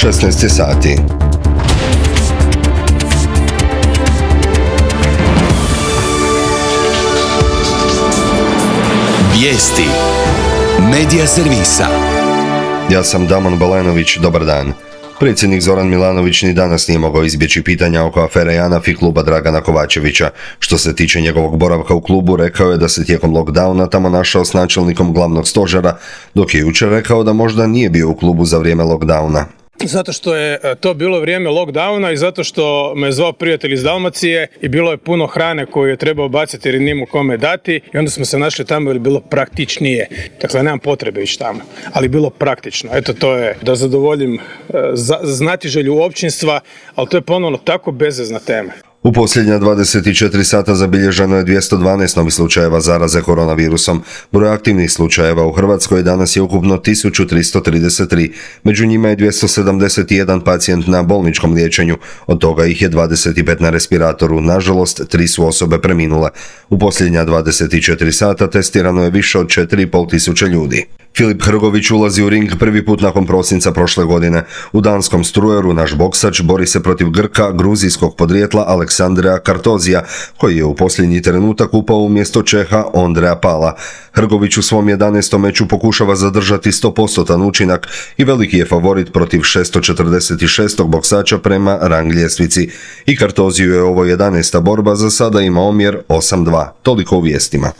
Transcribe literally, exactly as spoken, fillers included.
šesnaest je sati. Vijesti Medija servisa. Ja sam Damon Balenović, dobar dan. Predsjednik Zoran Milanović ni danas nije mogao izbjeći pitanja oko afere JANAF i kluba Dragana Kovačevića. Što se tiče njegovog boravka u klubu, rekao je da se tijekom lockdowna tamo našao s načelnikom glavnog stožera, dok je jučer rekao da možda nije bio u klubu za vrijeme lockdowna. Zato što je to bilo vrijeme lockdowna i zato što me zvao prijatelj iz Dalmacije i bilo je puno hrane koju je trebao baciti jer nije mu kome dati i onda smo se našli tamo jer je bilo praktičnije. Dakle, nemam potrebe ići tamo, ali bilo praktično. Eto, to je da zadovoljim znatiželju općinstva, ali to je ponovno tako bezvezna tema. U posljednja dvadeset četiri sata zabilježeno je dvjesto dvanaest novih slučajeva zaraze koronavirusom. Broj aktivnih slučajeva u Hrvatskoj danas je ukupno tisuću tristo trideset tri. Među njima je dvjesto sedamdeset jedan pacijent na bolničkom liječenju, od toga ih je dvadeset pet na respiratoru. Nažalost, tri su osobe preminule. U posljednja dvadeset četiri sata testirano je više od četiri i pol tisuće ljudi. Filip Hrgović ulazi u ring prvi put nakon prosinca prošle godine. U danskom strujeru naš boksač bori se protiv Grka gruzijskog podrijetla Aleksandrea Kartozija, koji je u posljednji trenutak upao umjesto Čeha Ondreja Pala. Hrgović u svom jedanaestom meču pokušava zadržati sto posto učinak i veliki je favorit protiv šesto četrdeset šest boksača prema rang ljestvici. I Kartoziju je ovo jedanaesta borba, za sada ima omjer osam dva. Toliko u vijestima.